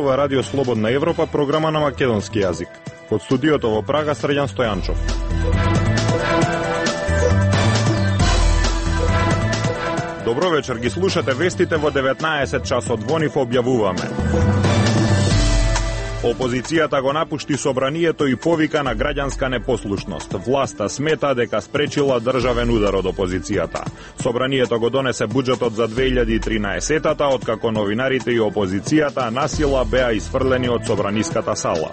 зборува Радио Слободна Европа, програма на македонски јазик. Од студиото во Прага, Срđan Стојанчов. Добро вечер, ги слушате вестите во 19 часот. Во нив објавуваме. Опозицијата го напушти собранието и повика на граѓанска непослушност. Власта смета дека спречила државен удар од опозицијата. Собранието го донесе буџетот за 2013-та, откако новинарите и опозицијата насила беа isfрлени од собраниската сала.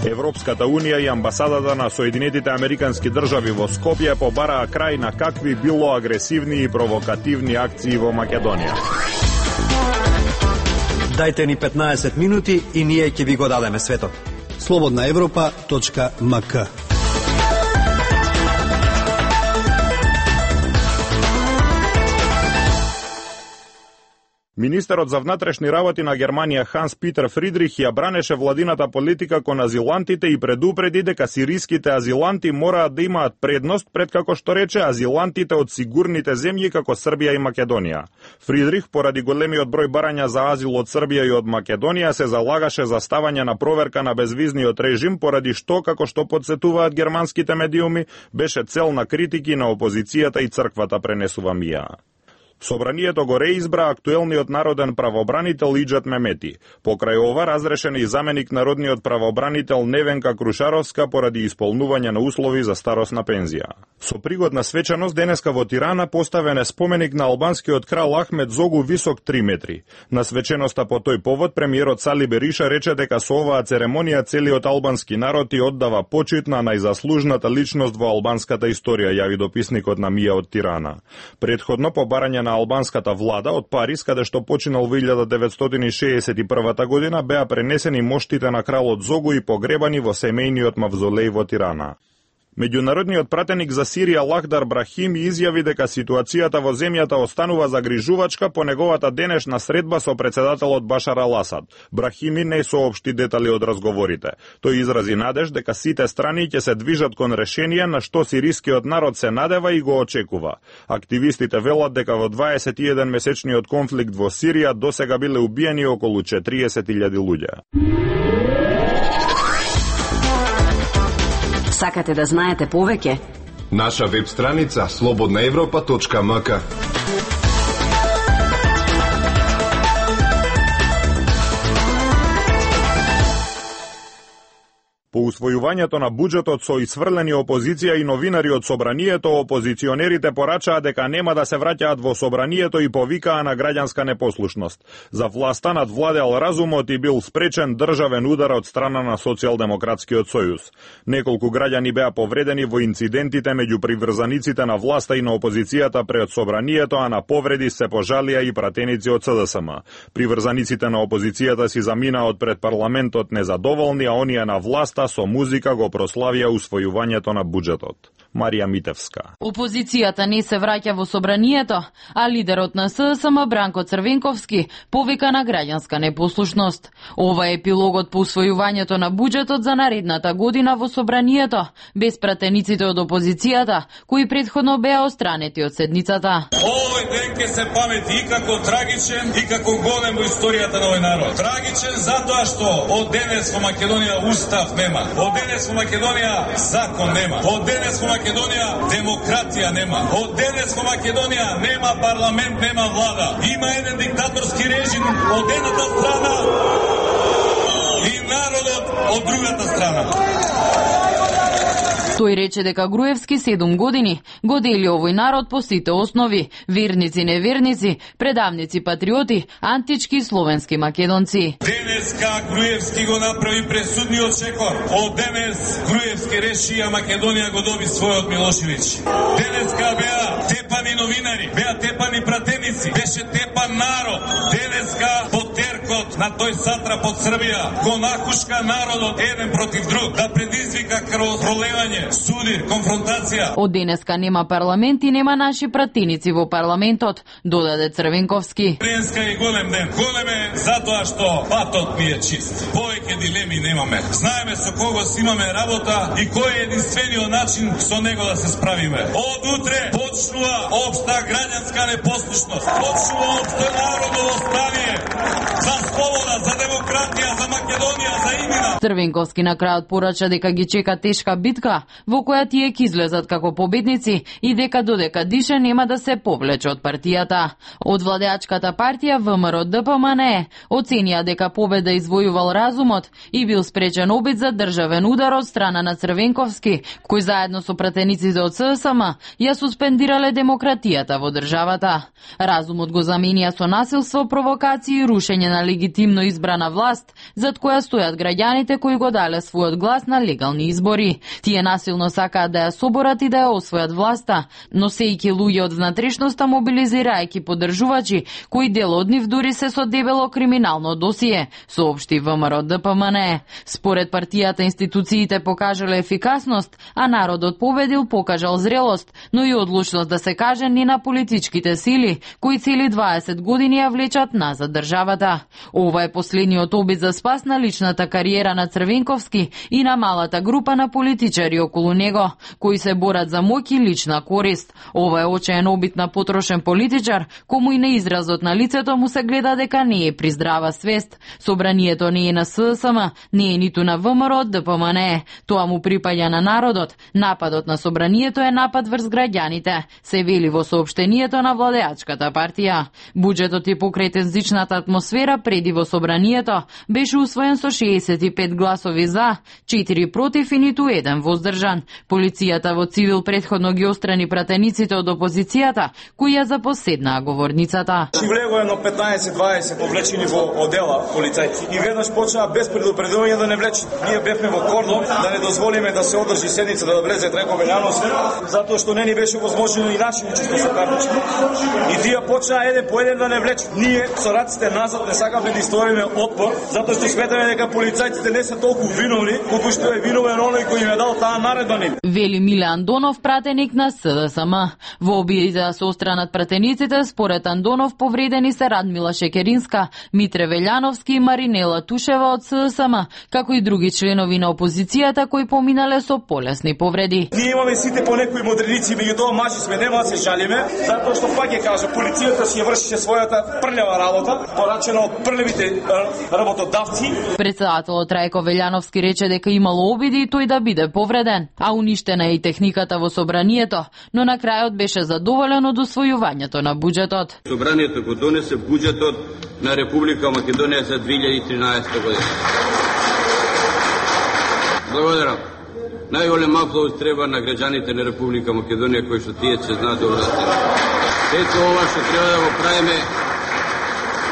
Европската Унија и амбасадата на Соединетите Американски држави во Скопје побараа крај на какви било агресивни и провокативни акции во Македонија. Дајте ни 15 минути и ние ќе ви го дадеме светот. slobodnaevropa.mk. Министерот за внатрешни работи на Германија Ханс Питер Фридрих ја бранеше владината политика кон азилантите и предупреди дека сириските азиланти мораат да имаат предност пред, како што рече, азилантите од сигурните земји како Србија и Македонија. Фридрих, поради големиот број барања за азил од Србија и од Македонија, се залагаше за ставање на проверка на безвизниот режим, поради што, како што подсетуваат германските медиуми, беше цел на критики на опозицијата и црквата, пренесува МИА. Собранието го реизбра актуелниот народен правобранител Иџет Мемети. Покрај ова разрешен и заменик народниот правобранител Невенка Крушаровска поради исполнување на услови за старосна пензија. Со пригодна свечаност денеска во Тирана поставен е споменик на албанскиот крал Ахмед Зогу висок 3 метри. На свеченоста по тој повод премиерот Сали Бериша рече дека со оваа церемонија целиот албански народ и оддава почит на најзаслужната личност во албанската историја, јави дописникот на МИА од Тирана. Предходно по барање на албанската влада од Париз, каде што починал во 1961 година, беа пренесени моштите на кралот Зогу и погребани во семејниот мавзолеј во Тирана. Меѓународниот пратеник за Сирија Лахдар Брахими изјави дека ситуацијата во земјата останува загрижувачка по неговата денешна средба со председателот Башар Ал-Асад. Брахими не соопшти детали од разговорите. Тој изрази надеж дека сите страни ќе се движат кон решение на што сирискиот народ се надева и го очекува. Активистите велат дека во 21 месечниот конфликт во Сирија досега биле убиени околу 40.000 луѓе. Сакате да знаете повеќе? Наша веб страница slobodnaevropa.mk. По усвојувањето на буџетот со исфрлени опозиција и новинари од собранието, опозиционерите порачаа дека нема да се враќаат во собранието и повикаа на граѓанска непослушност. За власта надвладел разумот и бил спречен државен удар од страна на Социјалдемократскиот сојуз. Неколку граѓани беа повредени во инцидентите меѓу приврзаниците на власта и на опозицијата пред собранието, а на повреди се пожалија и пратеници од СДСМ. Приврзаниците на опозицијата си заминаат пред парламентот незадоволни, а оние на власта со музика го прославија усвојувањето на буџетот. Марија Митевска. Опозицијата не се враќа во собранието, а лидерот на СДСМ Бранко Црвенковски повика на граѓанска непослушност. Ова е епилогот по усвојувањето на буџетот за наредната година во собранието, без пратениците од опозицијата, кои претходно беа отстранети од седницата. Овој ден ќе се памети и како трагичен и како голем во историјата на овој народ. Трагичен затоа што од денес во Македонија устав нема. Од денес во Македонија закон нема. Од денес во Македонија демократија нема. Од денес во Македонија нема парламент, нема влада. Има еден диктаторски режим од едната страна и народот од другата страна. Тој рече дека Груевски 7 години го дели овој народ по сите основи: верници, неверници, предавници, патриоти, антички, словенски, македонци. Денеска Груевски го направи пресудниот шекор. Од денес Груевски реши, а Македонија го доби својот Милошевиќ. Денеска беа тепани новинари, беа тепани пратеници, беше тепан народ. Денеска потеркот на тој сатрап од Србија го нахушка народот еден против друг, да предизвика крвопролевање, судир, конфронтација. Од денеска нема парламент и нема наши пратеници во парламентот, додаде Црвенковски. Денеска е голем ден. Голем е затоа што патот ни е чист. Повеќе дилеми немаме. Знаеме со кого си имаме работа и кој е единствениот начин со него да се справиме. Од утре почнува општа граѓанска непослушност. Почнува општо народово стание за слобода, за демократија, за Македонија, за иднина. Црвенковски на крајот порача дека ги чека тешка битка, во која тие ќе излезат како победници и дека додека дише нема да се повлече од партијата. Од владеачката партија ВМРО ДПМНЕ оценија дека победа извојувал разумот и бил спречен обид за државен удар од страна на Црвенковски, кој заедно со пратениците од ССМ ја суспендирале демократијата во државата. Разумот го заменија со насилство, провокации и рушење на легитимно избрана власт, зад која стојат граѓаните кои го дале својот глас на легални избори. Тие насилно сакаат да ја соборат и да ја освојат власта, носејќи луѓе од внатрешноста, мобилизирајќи поддржувачи, кои дел од нив дури се со дебело криминално досие, соопшти ВМРО ДПМНЕ. Според партијата институциите покажале ефикасност, а народот победил, покажал зрелост, но и одлучност да се каже ни на политичките сили, кои цели 20 години ја влечат назад државата. Ова е последниот обид за спас на личната кариера на Црвенковски и на малата група на политичари околу него, кои се борат за моќ и лична корист. Ова е очаен обид на потрошен политичар, кому и на изразот на лицето му се гледа дека не е при здрава свест. Собранието не е на ССМ, не е ниту на ВМРО ДПМНЕ. Тоа му припаѓа на народот. Нападот на собранието е напад врз граѓаните, се вели во соопштението на владеачката партија. Буџетот и покрај тензичната атмосфера преди во собранието беше усвоен со 65 гласови за, 4 против и ниту еден воздржан. Полицијата во цивил претходно ги острани пратениците од опозицијата, кои ја запоседнаа говорницата. Влего едно 15-20 повлечени во одела полицајци и веднаш почнаа без предупредување да не влечат. Ние бевме во кордон да не дозволиме да се одржи седница, да влезе Дреко Велјановски, затоа што не ни беше возможно и наше учество со картички. И тие почнаа еден по еден да не влечат. Ние со раците назад не сакаме да историме отпор, затоа што сметаме дека полицајците не се толку виновни, колку што е виновен оној кој им е дал таа наредба нив. Вели Миле Андонов, пратеник на СДСМ. Во обидите да се остранат пратениците, според Андонов повредени се Радмила Шекеринска, Митре Велјановски и Маринела Тушева од СДСМ, како и други членови на опозицијата кои поминале со полесни повреди. Ние имаме сите по некои модерници, меѓутоа мажи сме, нема да се жалиме, затоа што пак ќе кажа, полицијата си ја вршише својата прљава работа, порачена од прљавите работодавци. Председателот Трајко Велјановски рече дека имало обиди и тој да биде повреден, а уништена е и техниката во собранието, но на крајот беше задоволен од усвојувањето на буџетот. Собранието го донесе буџетот на Република Македонија за 2013 година. Благодарам. Најголем аплауз треба на граѓаните на Република Македонија кои што тие се знаат добро да се. Сето ова што треба да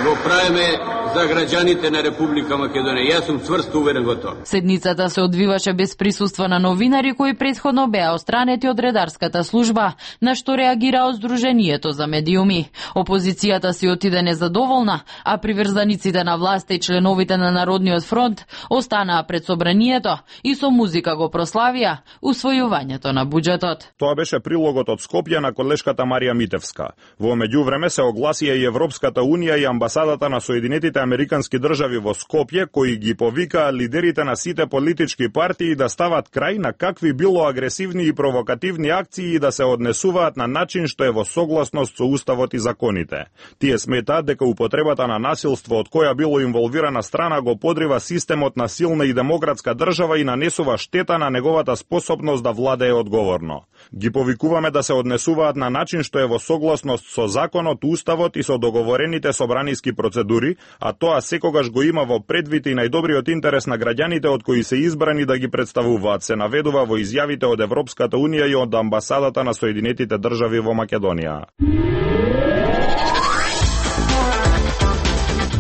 го правиме за граѓаните на Република Македонија. Јас сум цврсто уверен во тоа. Седницата се одвиваше без присуство на новинари кои претходно беа остранети од редарската служба, на што реагираа Сдруженијето за медиуми. Опозицијата си отиде незадоволна, а приврзаниците на власта и членовите на Народниот фронт останаа пред собранието и со музика го прославија усвојувањето на буџетот. Тоа беше прилогот од Скопје на колешката Марија Митевска. Во меѓувреме се огласија и Европската унија и амбасадата на Соединетите американски држави во Скопје, кои ги повикаа лидерите на сите политички партии да стават крај на какви било агресивни и провокативни акции и да се однесуваат на начин што е во согласност со уставот и законите. Тие сметаат дека употребата на насилство од која било инволвирана страна го подрива системот на силна и демократска држава и нанесува штета на неговата способност да владее одговорно. Ги повикуваме да се однесуваат на начин што е во согласност со законот, уставот и со договорените собраниски процедури, а тоа секогаш го има во предвид и најдобриот интерес на граѓаните од кои се избрани да ги представуваат, се наведува во изјавите од Европската унија и од амбасадата на Соединетите држави во Македонија.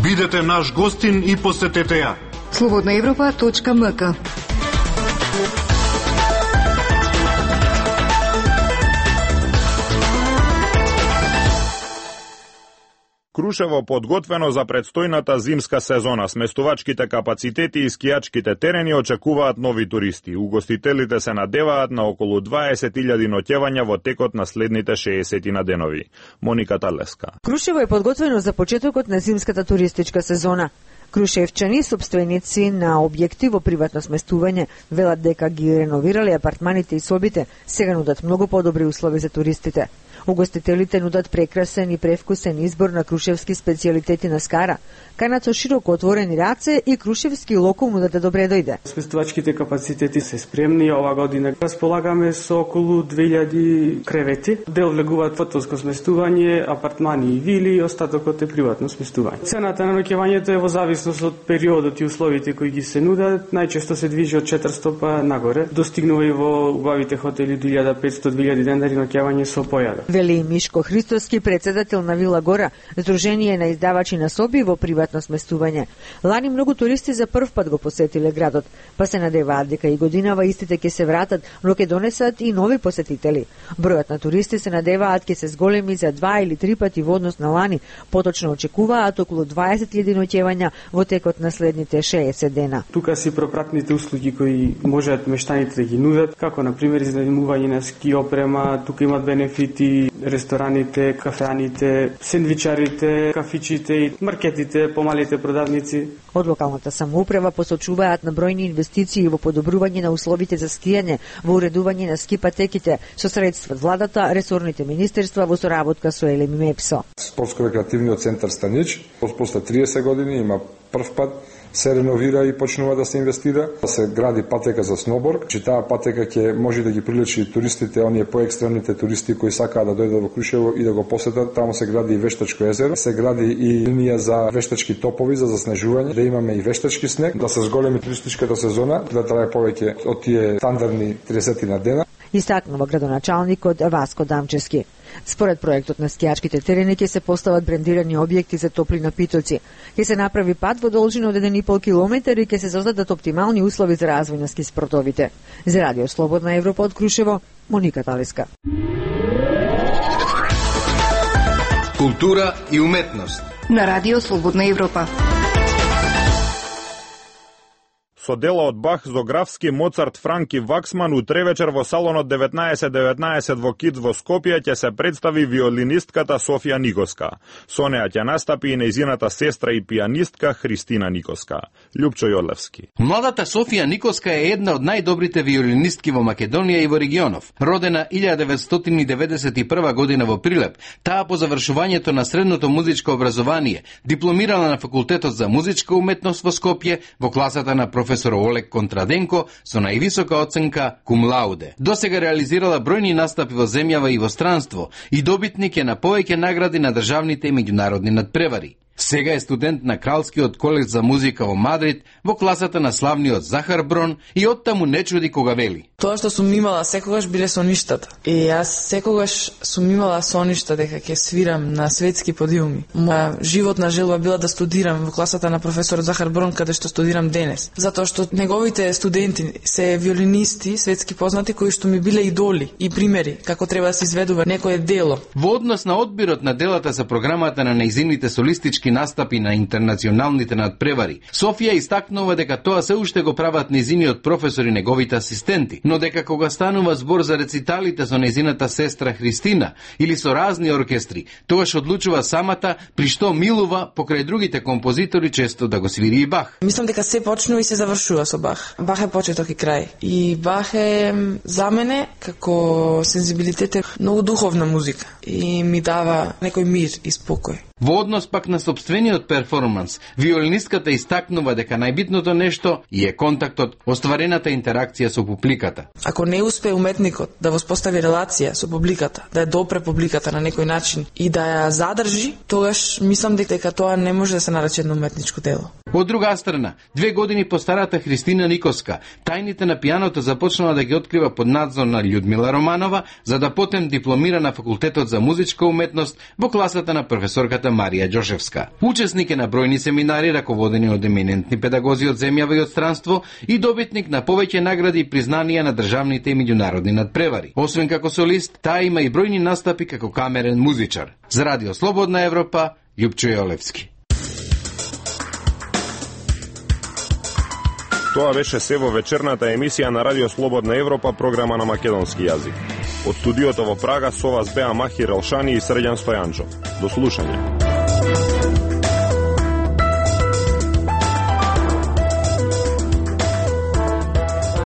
Бидете наш гостин и посетете ја. Slobodnaevropa.mk. Крушево подготвено за предстојната зимска сезона. Сместувачките капацитети и скијачките терени очекуваат нови туристи. Угостителите се надеваат на околу 20.000 ноќевања во текот на следните 60 на денови. Моника Талеска. Крушево е подготвено за почетокот на зимската туристичка сезона. Крушевчани, собственици на објекти во приватно сместување, велат дека ги реновирале апартманите и собите, сега нудат многу подобри услови за туристите. Угостителите нудат прекрасен и превкусен избор на крушевски специјалитети на скара, канат со широко отворени раце и Крушевски локум нудат да добре дојде. Сместувачките капацитети се спремни. Ова година располагаме со околу 2000 кревети. Дел влегуваат хотелско сместување, апартмани и вили, остатокот е приватно сместување. Цената на ноќевањето е во зависност од периодот и условите кои ги се нудат, најчесто се движи од 400 па нагоре. Достигнува и во убавите хотели 1500-2000 денари ноќевање со појадок. Вели Мишко Христоски, председател на Вила Гора, Сдружение на издавачи на соби во приватно сместување. Лани многу туристи за прв пат го посетиле градот, па се надеваат дека и годинава истите ќе се вратат, но ќе донесат и нови посетители. Бројот на туристи се надеваат ќе се зголеми за 2 или 3 пати во однос на лани, поточно очекуваат околу 20.000 ноќевања во текот на следните 60 дена. Тука си пропратните услуги кои можат мештаните да ги нудат, како на пример изнajmување на ски опрема, тука имат бенефити рестораните, кафеаните, сендвичарите, кафичите и маркетите, помалите продавници. Од локалната самоуправа посочуваат на бројни инвестиции во подобрување на условите за скијање, во уредување на ски патеките со средства од владата, ресорните министерства во соработка со ЕЛЕМ и МЕПСО. Спортско-рекреативниот центар Станич после 30 години има прв пат се реновира и почнува да се инвестира, да се гради патека за сноуборд, че таа патека ќе може да ги приличи туристите, оние поекстремните туристи кои сакаат да дојдат во Крушево и да го посетат. Таму се гради и вештачко езеро, се гради и линија за вештачки топови за заснежување, да имаме и вештачки снег, да се зголеми туристичката сезона, да трае повеќе од тие стандардни 30 на дена. Истакнува градоначалникот Васко Дамчевски. Според проектот на скијачките терени ќе се постават брендирани објекти за топли напитоци. Ќе се направи пат во должина од 1,5 километар и ќе се создадат оптимални услови за развој на ски спортовите. За Радио Слободна Европа од Крушево, Моника Талиска. Култура и уметност на Радио Слободна Европа. Со дела од Бах, Зографски, Моцарт, Франк и Ваксман утре вечер во салонот 1919 во Киц во Скопје ќе се представи виолинистката Софија Никоска. Со неа ќе настапи и нејзината сестра и пианистка Христина Никоска. Лјупчо Јолевски. Младата Софија Никоска е една од најдобрите виолинистки во Македонија и во регионов. Родена 1991 година во Прилеп, таа по завршувањето на средното музичко образование дипломирала на факултетот за музичка уметност во Скопје во класата на професор Олег Контраденко со највисока оценка cum laude. Досега реализирала бројни настапи во земјава и во странство и добитник е на повеќе награди на државните и меѓународни надпревари. Сега е студент на Кралскиот колеж за музика во Мадрид, во класата на славниот Захар Брон и оттаму не чуди кога вели. Тоа што сум имала секогаш биле соништата. И јас секогаш сум имала соништа дека ќе свирам на светски подиуми. Моја животна желба била да студирам во класата на професор Захар Брон, каде што студирам денес. Затоа што неговите студенти се виолинисти, светски познати, кои што ми биле идоли и примери како треба да се изведува некое дело. Во однос на одбирот на делата за програмата на нејзините солистички настапи на интернационалните надпревари, Софија истакнува дека тоа се уште го прават нејзиниот професор и неговите асистенти, но дека кога станува збор за рециталите со нејзината сестра Христина или со разни оркестри, тогаш одлучува самата, при што милува покрај другите композитори често да го свири и Бах. Мислам дека се почнува и се завршува со Бах. Бах е почеток и крај. И Бах е за мене како сензибилитет е многу духовна музика и ми дава некој мир и спокој. Во однос пак на собствениот перформанс, виолинистката истакнува дека најбитното нешто е контактот, остварената интеракција со публиката. Ако не успее уметникот да воспостави релација со публиката, да ја допре публиката на некој начин и да ја задржи, тогаш мислам дека тоа не може да се нарече едно уметничко дело. Од друга страна, 2 години по старата Христина Никоска, тајните на пианото започнала да ги открива под надзор на Људмила Романова, за да потем дипломира на факултетот за музичка уметност во класата на професорката Марија Ѓошевска. Учесник е на бројни семинари раководени од еминентни педагози од земјава и од странство и добитник на повеќе награди и признанија на државните и меѓународни надпревари. Освен како солист, таа има и бројни настапи како камерен музичар. За Радио Слободна Европа, Лјупчо Јолевски. Тоа беше се во вечерната емисија на Радио Слободна Европа, програма на македонски јазик. Од студиото во Прага со вас беа Махир Елшани и Срđan Стојанчов. До слушање.